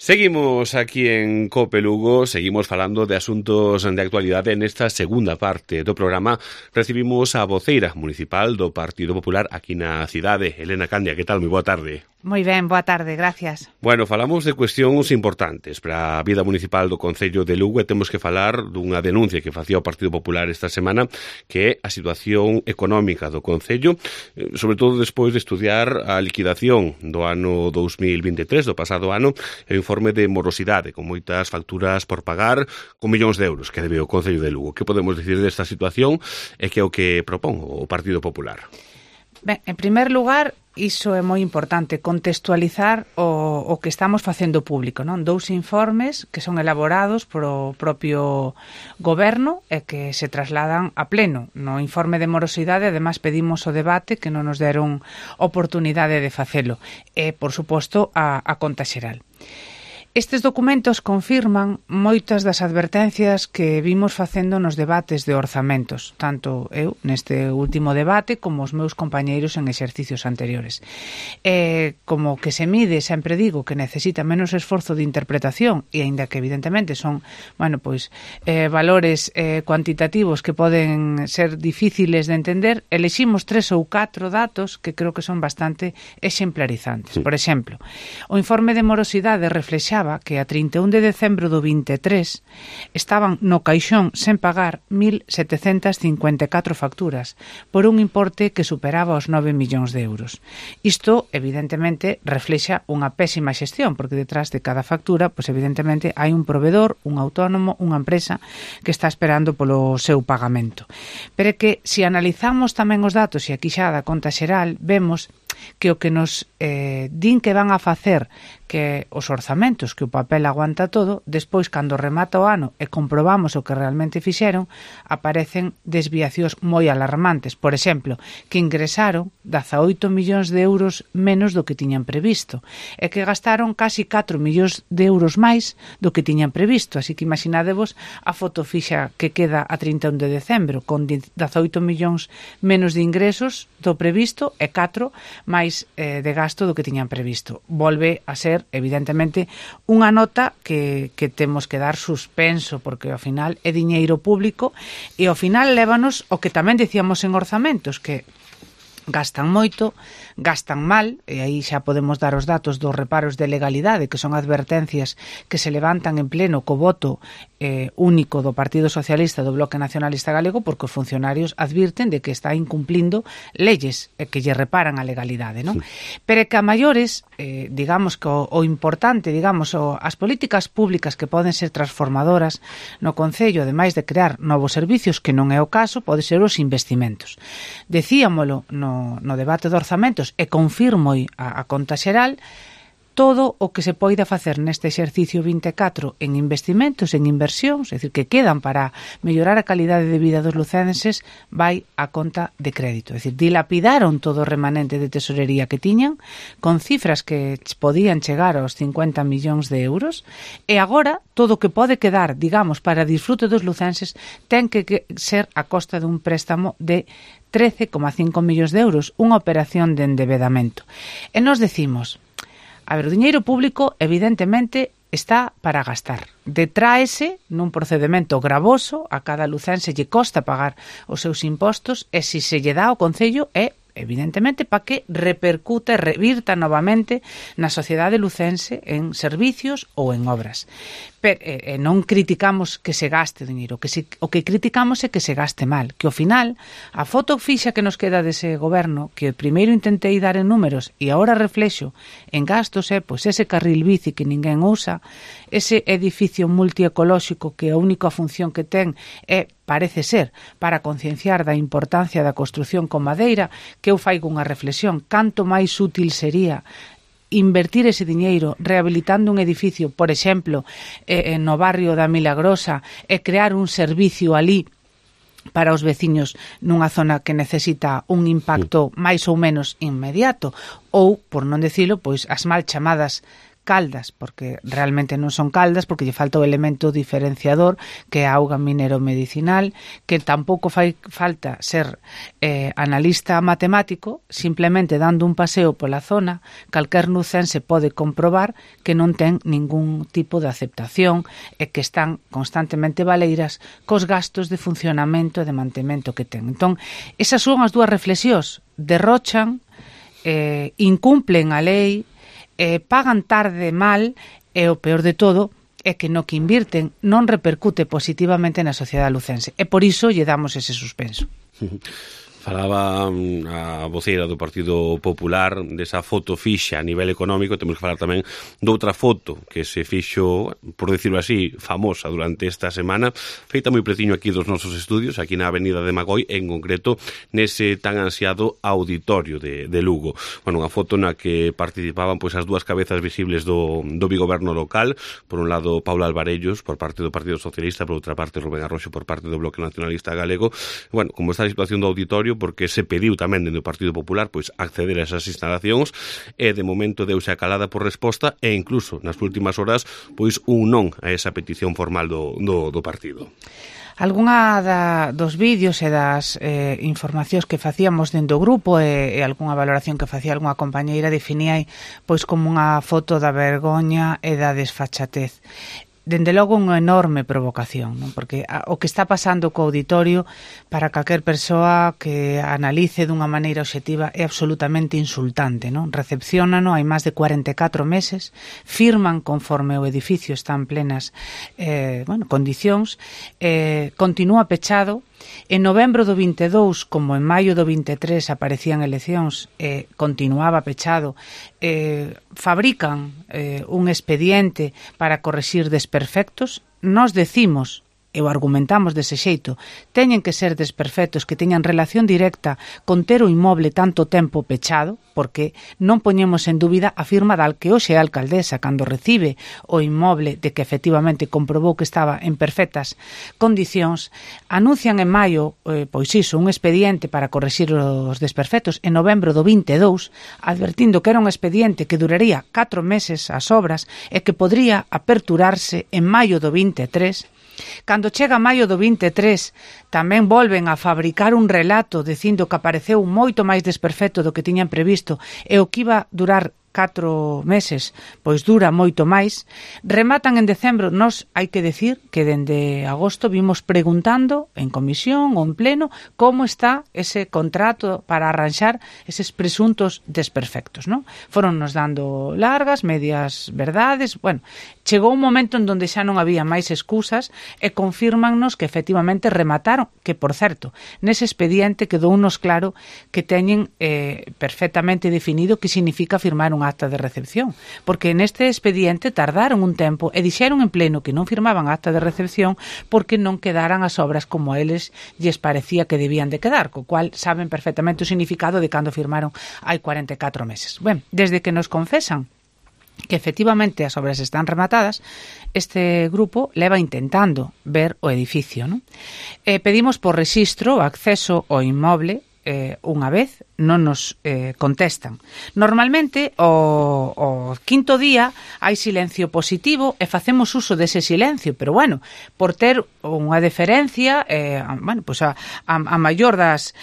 Seguimos aquí en COPE Lugo, seguimos falando de asuntos de actualidade. Nesta segunda parte do programa recibimos a voceira municipal do Partido Popular aquí na cidade, Elena Candia. Que tal? Moi boa tarde. Moi ben, boa tarde, gracias. Bueno, falamos de cuestións importantes para a vida municipal do Concello de Lugo e temos que falar dunha denuncia que facía o Partido Popular esta semana, que é a situación económica do Concello, sobre todo despois de estudiar a liquidación do ano 2023, do pasado ano, e o informe de morosidade, con moitas facturas por pagar, con millóns de euros que debe o Concello de Lugo. Que podemos dicir desta situación e que é o que propón o Partido Popular? Ben, en primer lugar, iso é moi importante, contextualizar o que estamos facendo público, non? 2 informes que son elaborados polo propio goberno e que se trasladan a pleno. No informe de morosidade, ademais, pedimos o debate que non nos deron oportunidade de facelo. E, por suposto, a conta xeral. Estes documentos confirman moitas das advertencias que vimos facendo nos debates de orzamentos, tanto eu neste último debate como os meus compañeiros en exercicios anteriores. Como que se mide, sempre digo, que necesita menos esforzo de interpretación, e aínda que evidentemente son, valores cuantitativos que poden ser difíciles de entender, eleximos 3 ou 4 datos que creo que son bastante exemplarizantes. Por exemplo, o informe de morosidade reflexaba que a 31 de decembro do 23 estaban no caixón sen pagar 1.754 facturas por un importe que superaba os 9 millóns de euros. Isto, evidentemente, reflexa unha pésima xestión, porque detrás de cada factura, pois evidentemente, hai un provedor, un autónomo, unha empresa que está esperando polo seu pagamento. Pero é que, se analizamos tamén os datos, e aquí xa da conta xeral, vemos que o que nos din que van a facer que os orzamentos, que o papel aguanta todo, despois, cando remata o ano e comprobamos o que realmente fixeron, aparecen desviacións moi alarmantes. Por exemplo, que ingresaron 18 millóns de euros menos do que tiñan previsto e que gastaron casi 4 millóns de euros máis do que tiñan previsto. Así que imaginadevos a foto fixa que queda a 31 de decembro, con 18 millóns menos de ingresos do previsto e 4 máis de gasto do que tiñan previsto. Volve a ser, evidentemente, unha nota que temos que dar suspenso, porque ao final é diñeiro público e ao final lévanos o que tamén dicíamos en orzamentos, que gastan moito, gastan mal, e aí xa podemos dar os datos dos reparos de legalidade, que son advertencias que se levantan en pleno co voto único do Partido Socialista do Bloque Nacionalista Galego, porque os funcionarios advirten de que está incumplindo leyes que lle reparan a legalidade, non? Pero que a maiores, digamos que o importante, as políticas públicas que poden ser transformadoras no Concello, ademais de crear novos servicios, que non é o caso, pode ser os investimentos. Decíamolo no debate de orzamentos, e confirmo a conta xeral, todo o que se poida facer neste exercicio 24 en investimentos, en inversións, é dicir, que quedan para mellorar a calidade de vida dos lucenses, vai a conta de crédito. É dicir, dilapidaron todo o remanente de tesorería que tiñan, con cifras que podían chegar aos 50 millóns de euros, e agora todo o que pode quedar, para disfrute dos lucenses, ten que ser a costa dun préstamo de 13,5 millóns de euros, unha operación de endebedamento. E nos decimos, o diñeiro público, evidentemente, está para gastar. Detráese nun procedimento gravoso, a cada lucense lle costa pagar os seus impostos, e se lle dá ao Concello é, evidentemente, para que repercute, revirta novamente na sociedade lucense en servicios ou en obras. Pero non criticamos que se gaste o diñeiro, o que criticamos é que se gaste mal, que ao final a foto fixa que nos queda dese goberno, que primeiro intentei dar en números e agora reflexo en gastos, é pois ese carril bici que ninguén usa, ese edificio multiecolóxico que a única función que ten é, parece ser, para concienciar da importancia da construción con madeira, que eu faigo unha reflexión, canto máis útil sería invertir ese diñeiro rehabilitando un edificio, por exemplo, no barrio da Milagrosa, e crear un servicio ali para os veciños nunha zona que necesita un impacto máis ou menos inmediato, ou, por non decilo, pois as mal chamadas caldas, porque realmente non son caldas, porque lle falta o elemento diferenciador que é a auga minero-medicinal, que tampouco fai falta ser analista matemático, simplemente dando un paseo pola zona, calquer nucense pode comprobar que non ten ningún tipo de aceptación e que están constantemente baleiras cos gastos de funcionamento e de mantemento que ten. Entón, esas son as dúas reflexións, derrochan, incumplen a lei, pagan tarde mal e o peor de todo é que no que invirten non repercute positivamente na sociedade lucense e por iso lle damos ese suspenso. Falaba a voceira do Partido Popular desa foto fixa a nivel económico. Temos que falar tamén doutra foto que se fixo, por decirlo así, famosa durante esta semana, feita moi preciño aquí dos nosos estudios, aquí na Avenida de Magoi, en concreto nese tan ansiado auditorio de Lugo. Bueno, unha foto na que participaban pois as dúas cabezas visibles do bigoberno local, por un lado Paula Alvarellos por parte do Partido Socialista, por outra parte Rubén Arroxo por parte do Bloque Nacionalista Galego. Bueno, como está a situación do auditorio, porque se pediu tamén dentro do Partido Popular pois acceder a esas instalacións e de momento deuse a calada por resposta e incluso nas últimas horas pois un non a esa petición formal do partido. Algúna dos vídeos e das informacións que facíamos dentro do grupo e algunha valoración que facía algunha compañeira definía pois como unha foto da vergoña e da desfachatez. Dende logo unha enorme provocación, non? Porque o que está pasando co auditorio para calquer persoa que analice dunha maneira obxectiva é absolutamente insultante, non? Recepciónano hai máis de 44 meses, firman conforme o edificio está en plenas condicións, continúa pechado. En novembro do 22, como en maio do 23 aparecían eleccións, continuaba pechado, fabrican un expediente para correxir desperfectos. Nos decimos, e o argumentamos dese xeito, teñen que ser desperfectos que teñan relación directa con ter o inmoble tanto tempo pechado, porque non poñemos en dúbida a firma da que hoxe é a alcaldesa cando recibe o inmoble de que efectivamente comprobou que estaba en perfectas condicións. Anuncian en maio, pois iso, un expediente para correxir os desperfectos en novembro do 22, advertindo que era un expediente que duraría 4 meses as obras e que podría aperturarse en maio do 23. Cando chega maio do 23 tamén volven a fabricar un relato dicindo que apareceu moito máis desperfecto do que tiñan previsto e o que iba a durar 4 meses, pois dura moito máis. Rematan en decembro. Nos hai que decir que dende agosto vimos preguntando en comisión ou en pleno como está ese contrato para arranxar eses presuntos desperfectos, non? Foron nos dando largas, medias verdades. Bueno, chegou un momento en donde xa non había máis excusas e confírmannos que efectivamente remataron, que por certo, nese expediente quedou unos claro que teñen perfectamente definido que significa firmar un acta de recepción, porque neste expediente tardaron un tempo e dixeron en pleno que non firmaban acta de recepción porque non quedaran as obras como a eles lles parecía que debían de quedar, co cual saben perfectamente o significado de cando firmaron hai 44 meses. Ben, desde que nos confesan que efectivamente as obras están rematadas, este grupo leva intentando ver o edificio, non? Pedimos por rexistro o acceso ao inmoble unha vez, non nos contestan. Normalmente o quinto día hai silencio positivo e facemos uso dese silencio, pero bueno, por ter unha deferencia a maior das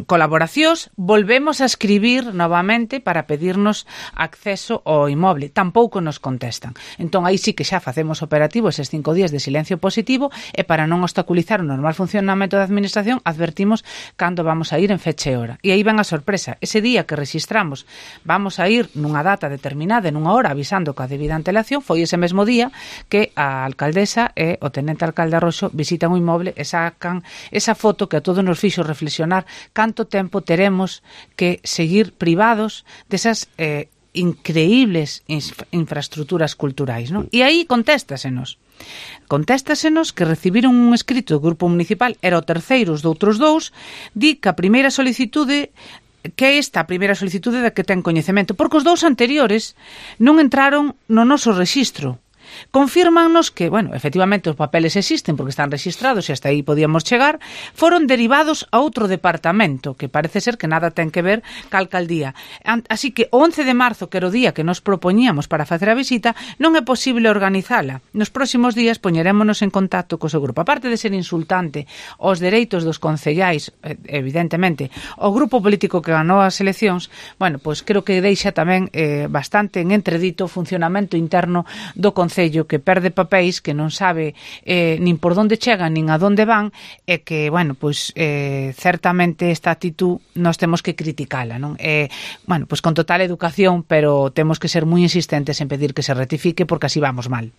colaboracións, volvemos a escribir novamente para pedirnos acceso ao inmoble. Tampouco nos contestan. Entón aí sí que xa facemos operativo eses 5 días de silencio positivo e para non obstaculizar o normal funcionamento da administración advertimos cando vamos a ir en fecha e hora. E aí ven a sorpresa. Ese día que rexistramos vamos a ir nunha data determinada, nunha hora, avisando coa debida antelación, foi ese mesmo día que a alcaldesa e o tenente alcalde Arroxo visitan o inmoble e sacan esa foto que a todos nos fixo reflexionar canto tempo teremos que seguir privados desas increíbles infraestructuras culturais, non? E aí contéstasenos que recibiron un escrito do Grupo Municipal, era o terceiro de outros dous, di que a primeira solicitude, que é esta a primeira solicitude da que ten coñecemento, porque os dous anteriores non entraron no noso rexistro. confírmannos que, bueno, efectivamente os papeles existen porque están rexistrados e hasta aí podíamos chegar, foron derivados a outro departamento, que parece ser que nada ten que ver ca alcaldía. Así que o 11 de marzo, que era o día que nos propoñíamos para facer a visita, non é posible organizala. Nos próximos días poñerémonos en contacto co seu grupo. Aparte de ser insultante os dereitos dos concellais, evidentemente, o grupo político que ganou as eleccións, bueno, pois creo que deixa tamén bastante en entredito o funcionamento interno do Concello, que perde papéis, que non sabe nin por onde chegan, nin a onde van, e que, bueno, pois certamente esta actitud nós temos que criticala, non? Bueno, pois con total educación, pero temos que ser moi insistentes en pedir que se rectifique, porque así vamos mal.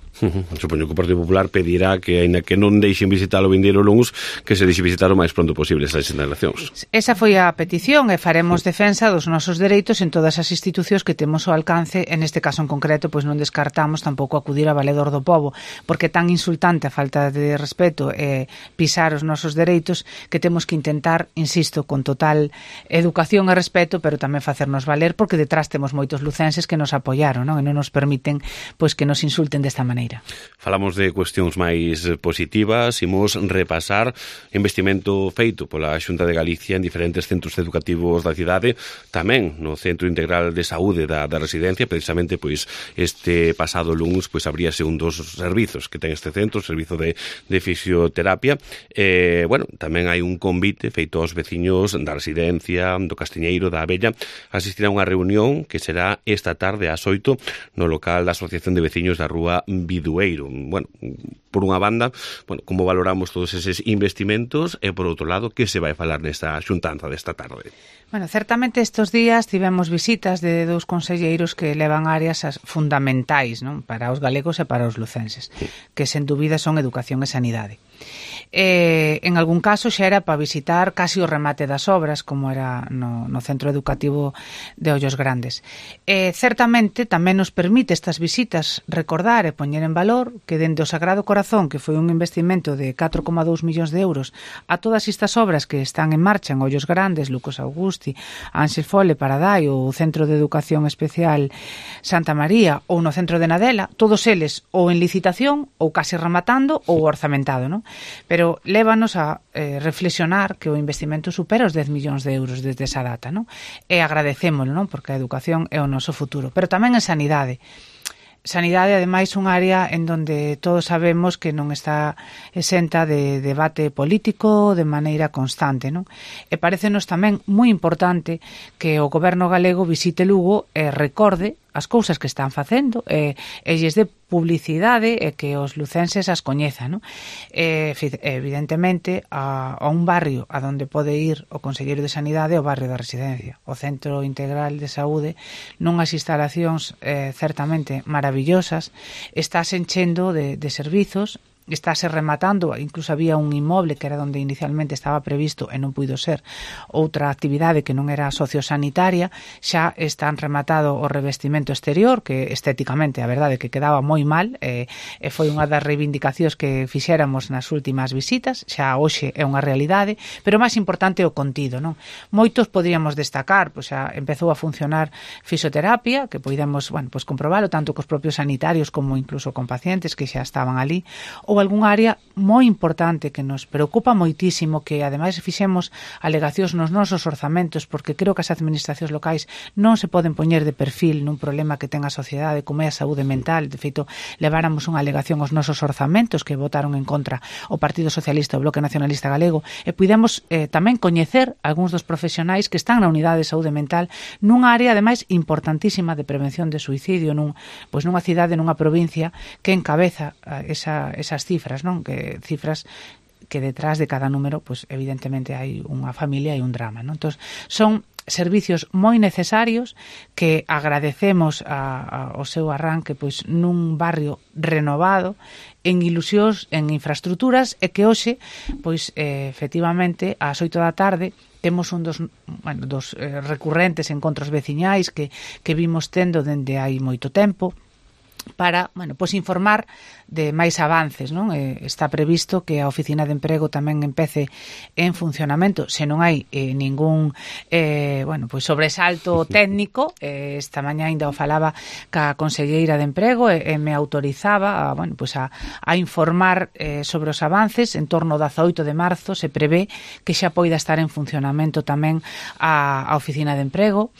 Supoño que o Partido Popular pedirá que, aínda que non deixen visitar o vindeiro luns, que se deixe visitar o máis pronto posible estas instalacións. Esa foi a petición, e faremos defensa dos nosos dereitos en todas as institucións que temos ao alcance. En este caso en concreto, pois non descartamos tampouco acudir a Valedor do Pobo, porque é tan insultante a falta de respeto e pisar os nosos dereitos que temos que intentar, insisto, con total educación e respeto, pero tamén facernos valer, porque detrás temos moitos lucenses que nos apoiaron, non? E non nos permiten pois que nos insulten desta maneira. Falamos de cuestións máis positivas, imos repasar investimento feito pola Xunta de Galicia en diferentes centros educativos da cidade, tamén no Centro Integral de Saúde da residencia. Precisamente pois este pasado luns pois abríase un dos servizos que ten este centro, o servizo de fisioterapia. Bueno, tamén hai un convite feito aos veciños da residencia, do Castiñeiro, da Abella, a asistir a unha reunión que será esta tarde ás 8 no local da Asociación de Veciños da Rúa Bidueiro. Bueno, por unha banda, bueno, como valoramos todos eses investimentos, e por outro lado, que se vai falar nesta xuntanza desta tarde? Bueno, certamente estes días tivemos visitas de dous conselleiros que levan áreas fundamentais, non, para os galegos e para os lucenses, que sen dúbida son educación e sanidade. En algún caso xa era para visitar casi o remate das obras, como era no centro educativo de Ollos Grandes. Certamente tamén nos permite estas visitas recordar e poñer en valor que dende o Sagrado Corazón, que foi un investimento de 4,2 millóns de euros, a todas estas obras que están en marcha en Ollos Grandes, Lucas Augusti, Ángel Fole, Paradai, ou o Centro de Educación Especial Santa María, ou no Centro de Nadela, todos eles ou en licitación, ou case rematando, ou orzamentado, non? Pero lévanos a reflexionar que o investimento supera os 10 millóns de euros desde esa data, non? E agradecémolo, non? Porque a educación é o noso futuro. Pero tamén en sanidade. Sanidade, ademais, un área en donde todos sabemos que non está exenta de debate político de maneira constante, non? E parécenos tamén moi importante que o goberno galego visite Lugo e recorde as cousas que están facendo e lles dé publicidade e que os lucenses as coñezan, non? Evidentemente, a un barrio a donde pode ir o Conselleiro de Sanidade é o barrio da Residencia. O Centro Integral de Saúde, nunhas instalacións certamente maravillosas, estáse enchendo de servizos, estáse rematando, incluso había un inmoble que era onde inicialmente estaba previsto e non puido ser outra actividade que non era sociosanitaria, xa están rematado o revestimento exterior, que estéticamente a verdade que quedaba moi mal, e foi unha das reivindicacións que fixéramos nas últimas visitas, xa hoxe é unha realidade, pero máis importante o contido, non? Moitos podríamos destacar, pois xa empezou a funcionar fisioterapia, que podemos, bueno, pois comprobalo tanto cos propios sanitarios como incluso con pacientes que xa estaban ali, ou algún área moi importante que nos preocupa moitísimo, que ademais fixemos alegacións nos nosos orzamentos, porque creo que as administracións locais non se poden poñer de perfil nun problema que ten a sociedade como é a saúde mental. De feito, leváramos unha alegación aos nosos orzamentos que votaron en contra o Partido Socialista e o Bloque Nacionalista Galego, e puidemos tamén coñecer algúns dos profesionais que están na unidade de saúde mental nunha área ademais importantísima de prevención de suicidio nunha cidade, nunha provincia que encabeza esas cifras, non? Que cifras que detrás de cada número, pois evidentemente hai unha familia e un drama, non? Entón, son servicios moi necesarios que agradecemos ao seu arranque pois nun barrio renovado, en ilusións, en infraestructuras, e que hoxe, pois efectivamente, ás 8 da tarde temos un dos recurrentes encontros veciñais que vimos tendo dende hai moito tempo, para, bueno, pois informar de máis avances, non? Está previsto que a Oficina de Emprego tamén empece en funcionamento, se non hai ningún bueno, pois sobresalto técnico. Esta mañá ainda o falaba ca conselleira de Emprego e me autorizaba a, bueno, pois a informar sobre os avances. En torno ao 18 de marzo se prevé que xa poida estar en funcionamento tamén a Oficina de Emprego.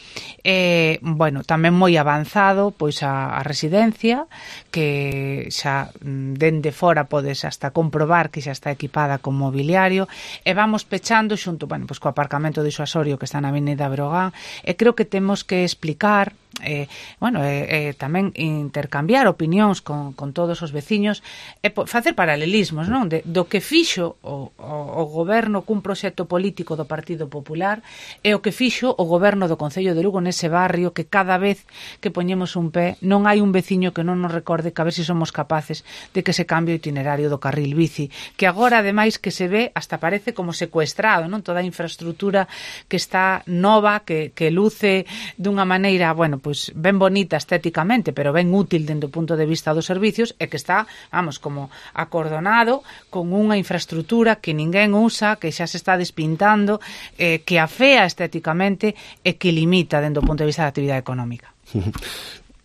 Bueno, tamén moi avanzado pois a residencia, que xa dende fora podes hasta comprobar que xa está equipada con mobiliario, e vamos pechando xunto, bueno, pois co aparcamento disuasorio que está na Avenida Breogán, e creo que temos que explicar tamén intercambiar opinións con todos os veciños e facer paralelismos, non? Do que fixo o goberno cun proxecto político do Partido Popular e o que fixo o goberno do Concello de Lugo nese barrio, que cada vez que poñemos un pé non hai un veciño que non nos recorde que a ver se somos capaces de que se cambie o itinerario do carril bici, que agora ademais que se ve hasta parece como secuestrado, non? Toda a infraestructura que está nova, que luce dunha maneira, bueno, pois ben bonita estéticamente, pero ben útil dende o punto de vista dos servicios, e que está, vamos, como acordonado con unha infraestructura que ninguén usa, que xa se está despintando, que afea estéticamente e que limita dende o punto de vista da actividade económica.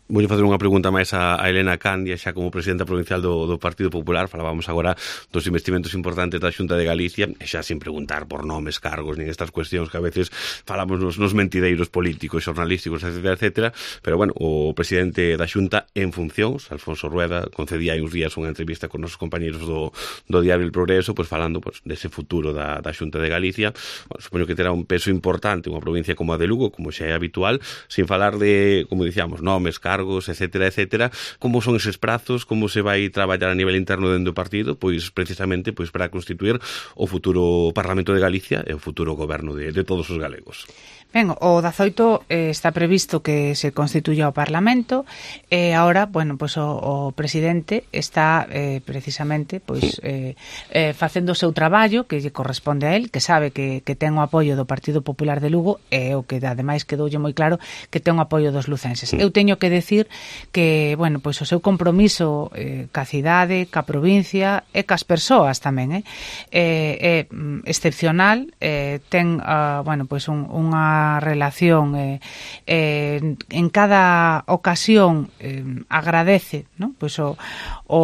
Vou facer unha pregunta máis a Elena Candia, xa como presidenta provincial do Partido Popular. Falábamos agora dos investimentos importantes da Xunta de Galicia, e xa sin preguntar por nomes, cargos, nin estas cuestións que a veces falamos nos mentideiros políticos, xornalísticos, etcétera, pero bueno, o presidente da Xunta en funcións, Alfonso Rueda, concedía hai uns días unha entrevista con os compañeros do Diario El Progreso, pois falando dese futuro da Xunta de Galicia. Bueno, supoño que terá un peso importante unha provincia como a de Lugo, como xa é habitual, sin falar de, como dicíamos, nomes, cargos, etcétera. Como son eses prazos? Como se vai traballar a nivel interno dentro do partido? Pois precisamente para constituir o futuro Parlamento de Galicia e o futuro goberno de todos os galegos. Ben, o 18 está previsto que se constituya o Parlamento, e agora, bueno, pois o presidente está precisamente pois facendo o seu traballo que lle corresponde a él, que sabe que ten o apoio do Partido Popular de Lugo, e o que ademais quedoulle moi claro que ten o apoio dos lucenses. Eu teño que decir que, bueno, pois o seu compromiso ca cidade, ca provincia e cas persoas tamén é excepcional. Ten, bueno, pois unha relación en cada ocasión agradece, non? Pois o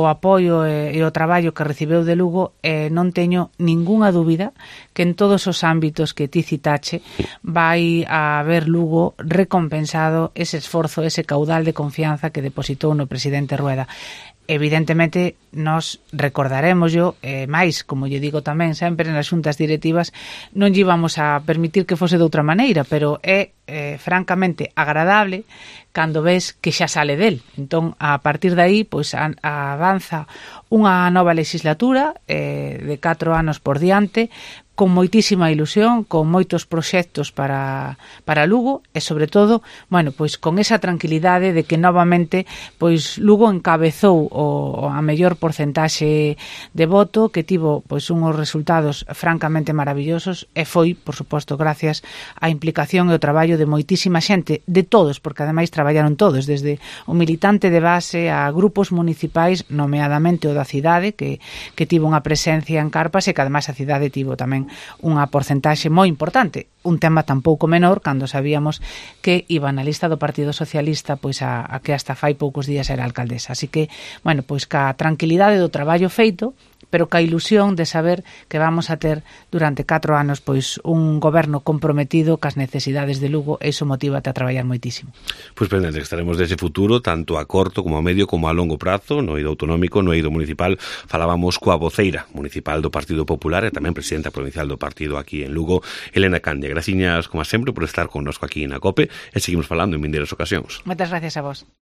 apoio e o traballo que recibeu de Lugo, e non teño ningunha dúbida que en todos os ámbitos que ti citache vai a ver Lugo recompensado ese esforzo, ese caudal de confianza que depositou no presidente Rueda. Evidentemente, nos recordaremos máis, como lle digo tamén sempre nas xuntas directivas, non lle íbamos a permitir que fose de outra maneira, pero é francamente agradable cando ves que xa sale del. Entón, a partir de aí, pois avanza unha nova legislatura de 4 anos por diante, con moitísima ilusión, con moitos proxectos para Lugo, e sobre todo, bueno, pois con esa tranquilidade de que novamente pois Lugo encabezou a mellor porcentaxe de voto, que tivo pois unhos resultados francamente maravillosos, e foi, por suposto, gracias á implicación e ao traballo de moitísima xente, de todos, porque ademais traballaron todos, desde o militante de base a grupos municipais, nomeadamente o da cidade, que tivo unha presencia en Carpas, e que ademais a cidade tivo tamén unha porcentaxe moi importante, un tema tampouco menor cando sabíamos que iba na lista do Partido Socialista pois a que hasta fai poucos días era alcaldesa. Así que, bueno, pois ca tranquilidade do traballo feito, pero ca ilusión de saber que vamos a ter durante 4 anos pois un goberno comprometido cas necesidades de Lugo, e iso motívate a traballar moitísimo. Pois pendente estaremos dese futuro, tanto a corto como a medio como a longo prazo, no eido autonómico, no eido municipal. Falábamos coa voceira municipal do Partido Popular e tamén presidenta provincial do partido aquí en Lugo, Elena Candia. Graciñas, como sempre, por estar connosco aquí na COPE, e seguimos falando en vindeiras ocasións. Moitas gracias a vos.